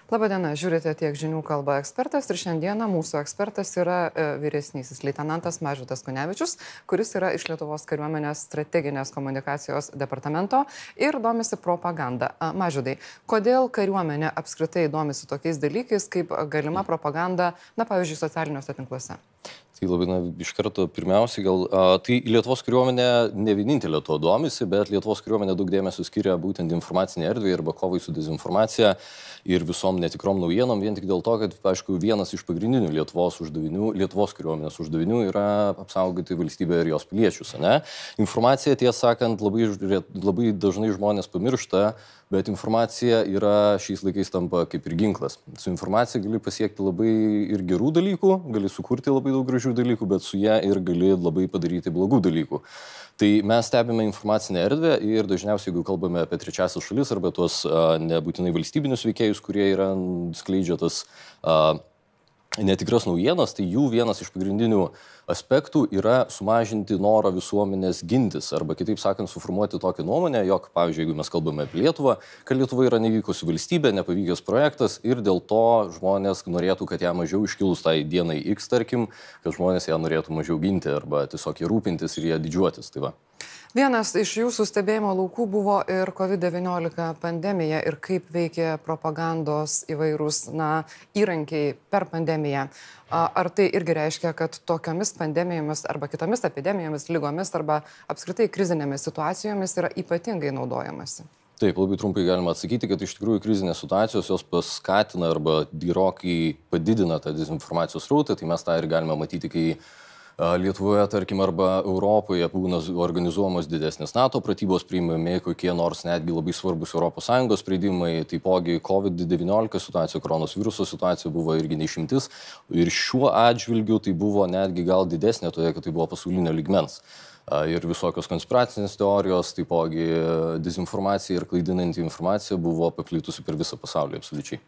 Labadiena, žiūrite Tiek žinių kalba ekspertas ir šiandieną mūsų ekspertas yra vyresnysis leitenantas Mažvydas Kunevičius, kuris yra iš Lietuvos kariuomenės strateginės komunikacijos departamento ir domisi propaganda. Mažvydai, kodėl kariuomenė apskritai domisi tokiais dalykais kaip galima propaganda, pavyzdžiui, socialiniuose tinkluose? Tai labai, iš karto pirmiausiai tai Lietuvos kariuomenė ne vienintelė to domisi, bet Lietuvos kariuomenė daug dėmesio skiria būtent informacinė erdvė arba kovai su dezinformacija ir visom netikrom naujienom, vien tik dėl to, kad, aišku, vienas iš pagrindinių Lietuvos kariuomenės uždavinių yra apsaugoti valstybę ir jos piliečius, ne? Informacija, tiesą sakant, labai dažnai žmonės pamiršta, bet informacija yra šiais laikais tampa kaip ir ginklas. Su informacija gali pasiekti labai ir gerų dalykų, gali sukurti labai daug gražių dalykų, bet su ją ir gali labai padaryti blogų dalykų. Tai mes stebime informacinę erdvę ir dažniausiai, jeigu kalbame apie trečiasias šalis arba tuos nebūtinai valstybinius veikėjus, kurie skleidžia tas netikras naujienas, tai jų vienas iš pagrindinių aspektų yra sumažinti norą visuomenės gintis arba, kitaip sakant, suformuoti tokią nuomonę, jog, pavyzdžiui, jeigu mes kalbame apie Lietuvą, kad Lietuva yra nevykusi valstybė, nepavykęs projektas ir dėl to žmonės norėtų, kad ją mažiau iškilus tai dienai X, tarkim, kad žmonės ją norėtų mažiau ginti arba tiesiog rūpintis ir ją didžiuotis. Tai va. Vienas iš jūsų stebėjimo laukų buvo ir COVID-19 pandemija ir kaip veikia propagandos įvairūs įrankiai per pandemiją. Ar tai irgi reiškia, kad tokiomis pandemijomis arba kitomis epidemijomis, lygomis arba apskritai krizinėmis situacijomis yra ypatingai naudojamasi? Taip, labai trumpai galima atsakyti, kad iš tikrųjų krizinės situacijos jos paskatina arba gerokai padidina tą dezinformacijos srautą, tai mes tą ir galime matyti, kai Lietuvoje, tarkim, arba Europoje būna organizuojamos didesnės NATO pratybos, priimami kokie nors netgi labai svarbus ES sprendimai, taipogi COVID-19 situacija, koronaviruso situacija buvo irgi neišimtis ir šiuo atžvilgiu tai buvo netgi gal didesnė, todėl kad tai buvo pasaulinio lygmens. Ir visokios konspiracinės teorijos, taipogi dezinformacija ir klaidinanti informacija buvo paplitusi per visą pasaulį absoliučiai.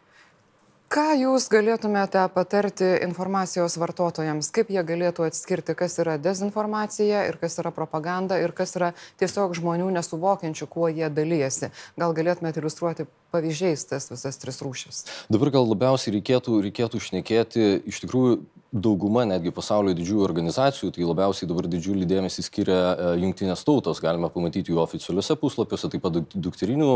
Ką jūs galėtumėte patarti informacijos vartotojams, kaip jie galėtų atskirti, kas yra dezinformacija ir kas yra propaganda ir kas yra tiesiog žmonių nesuvokiančių, kuo jie dalyjasi? Gal galėtumėte iliustruoti pavyzdžiais tas visas tris rūšis? Dabar gal labiausiai reikėtų šnekėti, iš tikrųjų, dauguma netgi pasaulio didžiųjų organizacijų, tai labiausiai dabar didžiulį dėmesį skiria Jungtinės tautos, galime pamatyti jų oficialiuose puslapiuose, taip pat dukterinių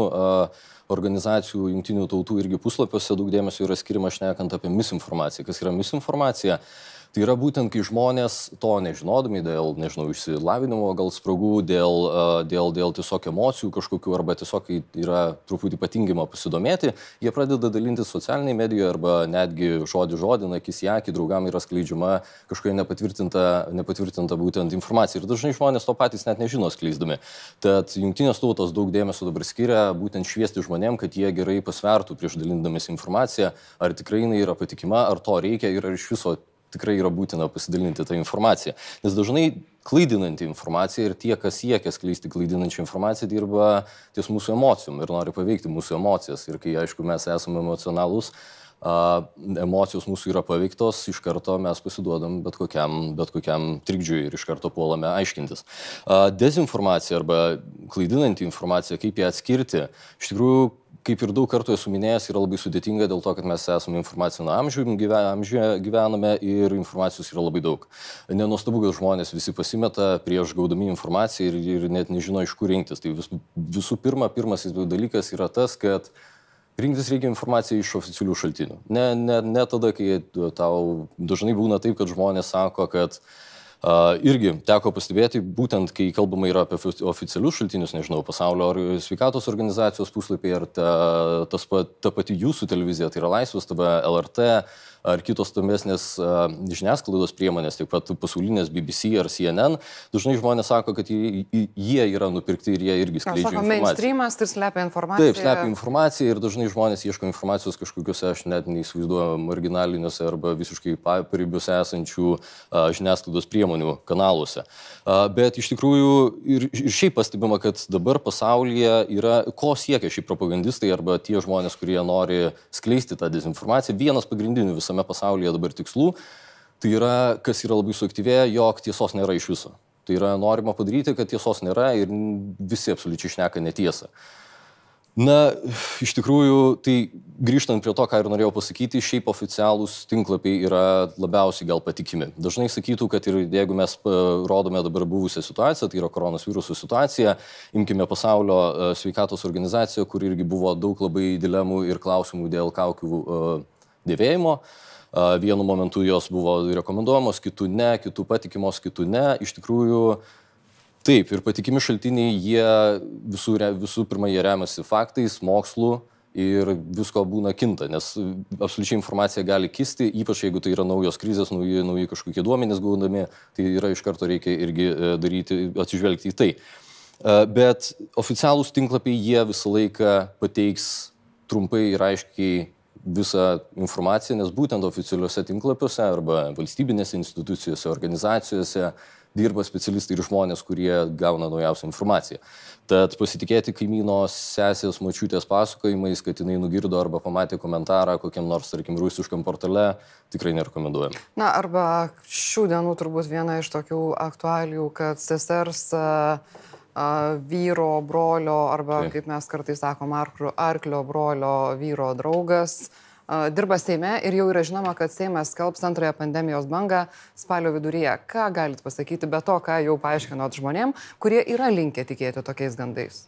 organizacijų Jungtinių tautų irgi puslapiuose daug dėmesio yra skiriama šnekant apie misinformaciją. Kas yra misinformacija? Tai yra būtent, kai žmonės to nežinodami dėl, išsilavinimo gal spragų, dėl tiesiog emocijų kažkokių arba tiesiog yra truputį patingima pasidomėti, jie pradeda dalintis socialiniai medijoje arba netgi žodį, akis į akį, draugam yra skleidžiama kažkokia nepatvirtinta būtent informacija. Ir dažnai žmonės to patys net nežino skleisdami. Tad Jungtinės tautos daug dėmesio dabar skiria būtent šviesti žmonėm, kad jie gerai pasvertų prieš dalindamės informaciją, ar tikrai jinai yra patikima, ar to reikia ir ar iš viso tikrai yra būtina pasidalinti tą informaciją. Nes dažnai klaidinanti informacija ir tie, kas siekia skleisti klaidinančią informaciją, dirba ties mūsų emocijom ir nori paveikti mūsų emocijas. Ir kai, aišku, mes esame emocionalūs, emocijos mūsų yra paveiktos, iš karto mes pasiduodam bet kokiam trikdžiui ir iš karto puolame aiškintis. Dezinformacija arba klaidinanti informacija, kaip ją atskirti, iš tikrųjų, kaip ir daug kartų esu minėjęs, yra labai sudėtinga dėl to, kad mes esame informacinio amžiuje gyvename ir informacijos yra labai daug. Nenuostabu, kad žmonės visi pasimeta prieš gaudami informaciją ir net nežino, iš kur rinktis. Tai visų pirma, pirmasis dalykas yra tas, kad rinktis reikia informaciją iš oficialių šaltinių. Ne tada, kai tau dažnai būna taip, kad žmonės sako, kad irgi teko pastebėti, būtent kai kalbama yra apie oficialius šaltinius, pasaulio sveikatos organizacijos puslapyje ar ta pati jūsų televizija, tai yra Laisvės TV, LRT ar kitos stambesnės žiniasklaidos priemonės, taip pat pasaulinės BBC ar CNN, dažnai žmonės sako, kad jie yra nupirkti ir jie irgi skleidžia informaciją. Mainstreamas, tai slepia informaciją. Taip, slepia informaciją ir dažnai žmonės ieško informacijos kažkokiuose, aš net neįsivaizduoju, marginaliniuose arba visiškai paribiuose esančių žiniasklaidos priemonių kanaluose. Bet iš tikrųjų ir šiaip pastebima, kad dabar pasaulyje yra, ko siekia šį propagandistai arba tie žmonės, kurie nori skleisti tą dezinformaciją. Vienas pagrindinių visame pasaulyje dabar tikslų, tai yra, kas yra labai suaktyvėję, jog tiesos nėra iš viso. Tai yra norima padaryti, kad tiesos nėra ir visi absoliučiai šneka netiesą. Na, iš tikrųjų, tai grįžtant prie to, ką ir norėjau pasakyti, šiaip oficialūs tinklapiai yra labiausiai gal patikimi. Dažnai sakytų, kad ir jeigu mes rodome dabar buvusią situaciją, tai yra koronaviruso situacija, imkime Pasaulio sveikatos organizaciją, kur irgi buvo daug labai dilemų ir klausimų dėl kaukių dėvėjimo. Vienu momentu jos buvo rekomenduojamos, kitų ne, kitų patikimos, kitų ne. Iš tikrųjų, taip, ir patikimi šaltiniai, jie visų pirma, jie remiasi faktais, mokslu ir visko būna kinta, nes absoliučiai informacija gali kisti, ypač jeigu tai yra naujos krizės, nauji kažkokie duomenys gaunami, tai yra iš karto reikia irgi atsižvelgti į tai. Bet oficialūs tinklapiai, jie visą laiką pateiks trumpai ir aiškiai visą informaciją, nes būtent oficialiuose tinklapiuose arba valstybinėse institucijose, organizacijose dirba specialistai ir žmonės, kurie gauna naujausią informaciją. Tad pasitikėti kaimyno sesės močiutės pasakojimais, kad jinai nugirdo arba pamatė komentarą kokiam nors, tarkim, rusiškam portale, tikrai nerekomenduojame. Na, arba šių dienų turbūt viena iš tokių aktualijų, kad sesers vyro, brolio arba, kaip mes kartais sakom, arklio brolio vyro draugas dirba Seime ir jau yra žinoma, kad Seimas skelbs antrąją pandemijos bangą spalio viduryje. Ką galit pasakyti be to, ką jau paaiškinot žmonėm, kurie yra linkę tikėti tokiais gandais?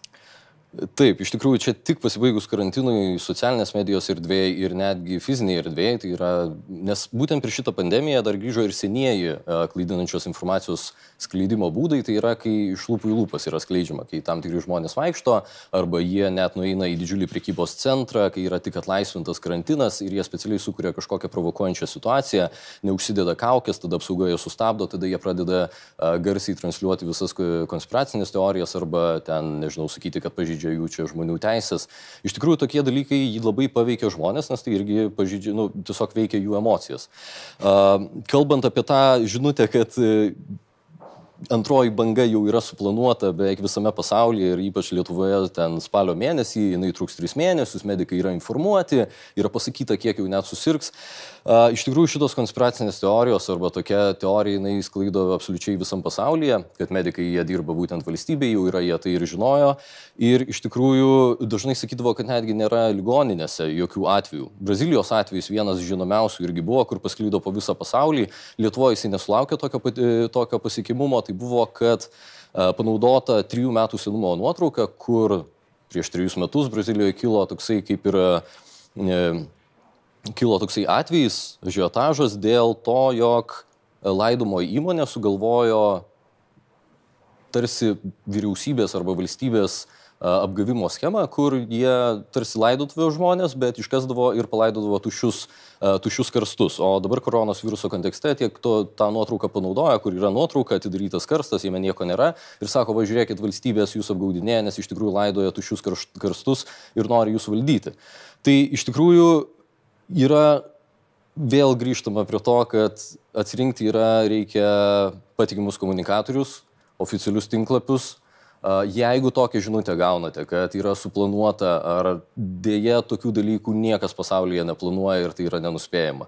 Taip, iš tikrųjų, čia tik pasibaigus karantinui socialinės medijos erdvėje ir netgi fizinėje erdvėje, tai yra, nes būtent per šitą pandemiją dar grįžo ir senieji klaidinančios informacijos skleidimo būdai, tai yra, kai iš lūpų į lūpas yra skleidžiama, kai tam tikri žmonės vaikšto, arba jie net nueina į didžiulį prekybos centrą, kai yra tik atlaisvintas karantinas ir jie specialiai sukuria kažkokią provokuojančią situaciją, neužsideda kaukės, tada apsauga jie sustabdo, tada jie pradeda garsiai transliuoti visas konspiracinės teorijas arba ten, nežinau, sakyti, kad pažeidžia jų čia žmonių teisės. Iš tikrųjų, tokie dalykai jį labai paveikia žmonės, nes tai irgi pažeidžia, tiesiog veikia jų emocijas. Kalbant apie tą žinutę, kad antroji banga jau yra suplanuota beveik visame pasaulyje ir ypač Lietuvoje ten spalio mėnesį, jinai truks 3 mėnesius, medikai yra informuoti, yra pasakyta, kiek jau net susirgs. Iš tikrųjų, šitos konspiracinės teorijos arba tokia teorija, jinai sklaido absoliučiai visam pasaulyje, kad medikai jie dirba būtent valstybėje, jau yra jie tai ir žinojo. Ir iš tikrųjų dažnai sakydavo, kad netgi nėra ligoninėse jokių atvejų. Brazilijos atvejis vienas žinomiausių irgi buvo, kur pasklydo po visą pasaulį. Lietuvoje jisai nesulaukė tokio pasiekimumo. Tai buvo, kad panaudota 3 metų senumo nuotrauka, kur prieš 3 metus Brazilijoje kilo toksai kaip ir atvejis, ažiotažas dėl to, jog laidomo įmonė sugalvojo tarsi vyriausybės arba valstybės apgavimo schemą, kur jie tarsi laidotuvė žmonės, bet iškasdavo ir palaidodavo tuščius karstus. O dabar koronos viruso kontekste tiek tą nuotrauką panaudoja, kur yra nuotrauka, atidarytas karstas, jame nieko nėra ir sako, va žiūrėkit, valstybės jūs apgaudinėja, nes iš tikrųjų laidoja tuščius karstus ir nori jūs valdyti. Tai iš tikrųjų yra vėl grįžtama prie to, kad atsirinkti reikia patikimus komunikatorius, oficialius tinklapius. Jeigu tokią žinutę gaunate, kad yra suplanuota ar dėja tokių dalykų niekas pasaulyje neplanuoja ir tai yra nenuspėjama.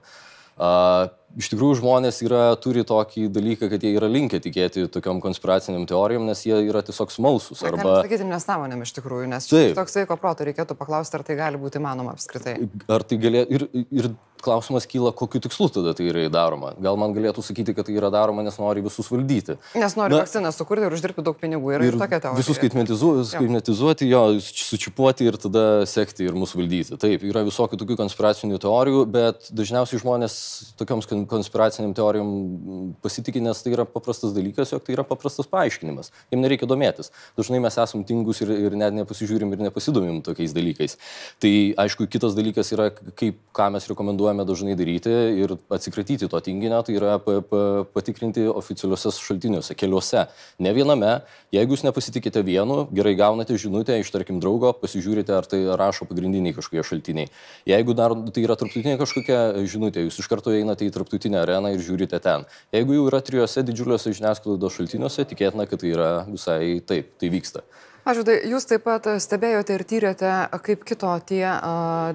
Iš tikrųjų, žmonės turi tokį dalyką, kad jie yra linkę tikėti tokiom konspiraciniam teorijom, nes jie yra tiesiog smalsūs. Arba sakyti nesąmonėm iš tikrųjų, nes čia toks sveiko proto reikėtų paklausti, ar tai gali būti įmanoma apskritai. Ar tai galėtų ir klausimas kyla, kokiu tikslu tada tai yra daroma. Gal man galėtų sakyti, kad tai yra daroma, nes nori visus valdyti. Nes nori vakciną sukurti ir uždirbti daug pinigų. Ir tokia teorija. Visus skaitmetizuoti, sučipuoti ir tada sekti ir mus valdyti. Taip, yra visokių tokių konspiracinių teorijų, bet dažniausiai žmonės tokioms konspiraciniam teorijom pasitikė, nes tai yra paprastas dalykas, jog tai yra paprastas paaiškinimas. Jiems nereikia domėtis. Dažnai mes esam tingus ir net nepasižiūrim ir nepasidomim tokiais dalykais. Tai aišku, kitas dalykas yra, ką mes rekomenduojame dažnai daryti ir atsikratyti to tinginio, tai yra patikrinti oficialiuose šaltiniuose, keliuose, ne viename. Jeigu jūs nepasitikite vienu, gerai gaunate žinutę iš, tarkim, draugo, pasižiūrite, ar tai rašo pagrindiniai kažkokie šaltiniai. Jeigu dar tai yra tarptautinė kažkokia žinutė, jūs iš karto einate į tarptautinę areną ir žiūrite ten. Jeigu jau yra 3 didžiuliuose žiniasklaidos šaltiniuose, tikėtina, kad tai yra visai taip, tai vyksta. Mažvydai, jūs taip pat stebėjote ir tyrėte, kaip kito tie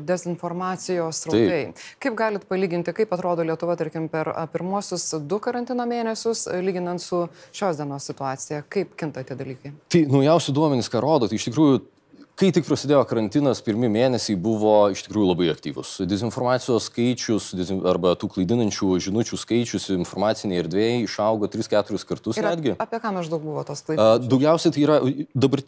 dezinformacijos srautai. Kaip galit palyginti, kaip atrodo Lietuva, tarkim, per pirmuosius 2 karantino mėnesius, lyginant su šios dienos situacija? Kaip kinta tie dalykai? Tai naujausi duomenys, ką rodo, tai iš tikrųjų Kai tik prasidėjo karantinas, pirmi mėnesiai buvo iš tikrųjų labai aktyvus. Dezinformacijos skaičius arba tų klaidinančių žinučių skaičius informaciniai erdvėjai išaugo 3-4 kartus netgi. Apie ką maždaug buvo tos klaidinančios? Daugiausiai tai yra dabar.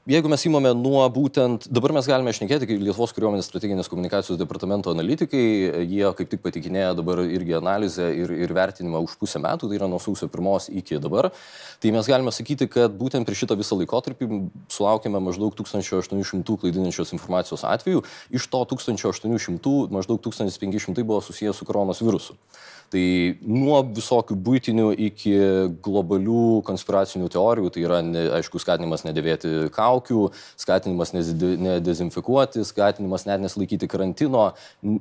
Jeigu mes įmame nuo būtent, dabar mes galime šnekėti, kaip Lietuvos kariuomenės strateginės komunikacijos departamento analitikai, jie kaip tik patikinėja dabar irgi analizę ir vertinimą už pusę metų, tai yra nuo sausio 1 iki dabar. Tai mes galime sakyti, kad būtent per šitą visą laikotarpį sulaukėme maždaug 1800 klaidinančios informacijos atvejų, iš to 1800 maždaug 1500 buvo susijęs su koronos virusu. Tai nuo visokių buitinių iki globalių konspiracinių teorijų, tai yra, aišku, skatinimas nedėvėti kaukių, skatinimas nedezinfekuoti, skatinimas net nesilaikyti karantino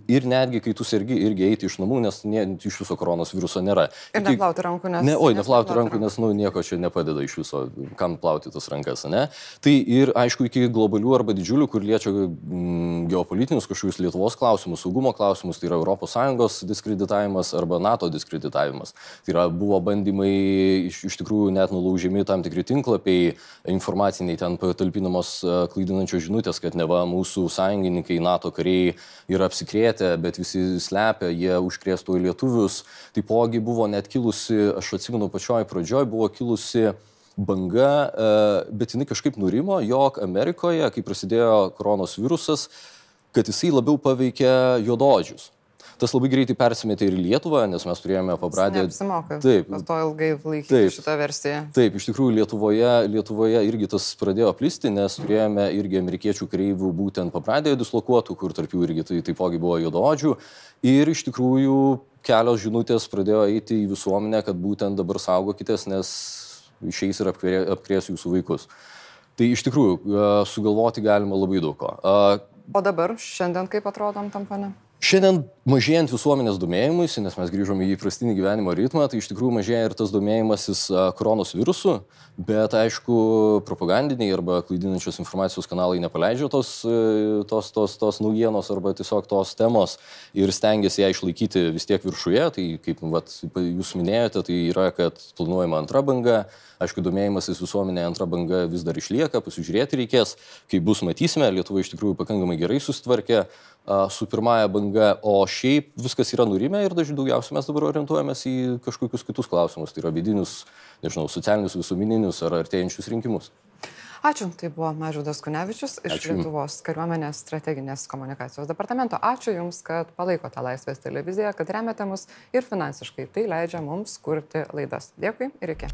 ir netgi, kai tu sergi, irgi eiti iš namų, nes iš viso koronos viruso nėra. Ir neplauti rankų, nes... Neplauti rankų, nes nieko čia nepadeda iš viso, kam plauti tas rankas, ne? Tai ir, aišku, iki globalių arba didžiulių, kur liečia geopolitinius kažkokius Lietuvos klausimus, saugumo klausimus, tai yra ES diskreditavimas arba NATO diskreditavimas. Tai yra, buvo bandymai iš tikrųjų net nulaužiami tam tikri tinklapiai, informaciniai ten patalpinamos klaidinančios žinutės, kad neva mūsų sąjungininkai, NATO kariai yra apsikrėtę, bet visi slepia, jie užkrėstų į lietuvius. Taipogi buvo net kilusi, aš atsimenu pačioj pradžioj, buvo kilusi banga, bet jinai kažkaip nurimo, jog Amerikoje, kai prasidėjo koronos virusas, kad jisai labiau paveikė juodaodžius. Tas labai greitai persimetė ir į Lietuvą, nes mes turėjome pabradę... Neapsimoka. Taip. To ilgai laikyti šitą versiją. Taip, iš tikrųjų Lietuvoje irgi tas pradėjo plisti, nes turėjome irgi amerikiečių kareivių būtent pabradėje dislokuotų, kur tarp jų irgi taipogi buvo juodaodžių. Ir iš tikrųjų kelios žinutės pradėjo eiti į visuomenę, kad būtent dabar saugokitės, nes išeis ir apkrės jūsų vaikus. Tai iš tikrųjų sugalvoti galima labai daug ko. O dabar, šiandien kaip atrodom tam fone? Šiandien mažėjant visuomenės domėjimuisi, nes mes grįžome į įprastinį gyvenimo ritmą, tai iš tikrųjų mažėja ir tas domėjimasis koronos virusu, bet aišku, propagandiniai arba klaidinančios informacijos kanalai nepaleidžia tos naujienos arba tiesiog tos temos ir stengiasi ją išlaikyti vis tiek viršuje. Tai kaip jūs minėjote, tai yra, kad planuojama antra banga. Aišku, domėjimasis visuomenė antra banga vis dar išlieka, pasižiūrėti reikės, kai bus matysime, Lietuva iš tikrųjų pakankamai gerai susitvarkė su pirmąja banga, o šiaip viskas yra nurimę ir daugiausiai mes dabar orientuojamės į kažkokius kitus klausimus, tai yra vidinius, nežinau, socialinius, visuomeninius ar artėjančius rinkimus. Ačiū, tai buvo Mažvydas Kunevičius iš Lietuvos kariuomenės strateginės komunikacijos departamento. Ačiū Jums, kad palaikote Laisvės televiziją, kad remiate mus ir finansiškai tai leidžia mums kurti laidas. Dėkui ir iki.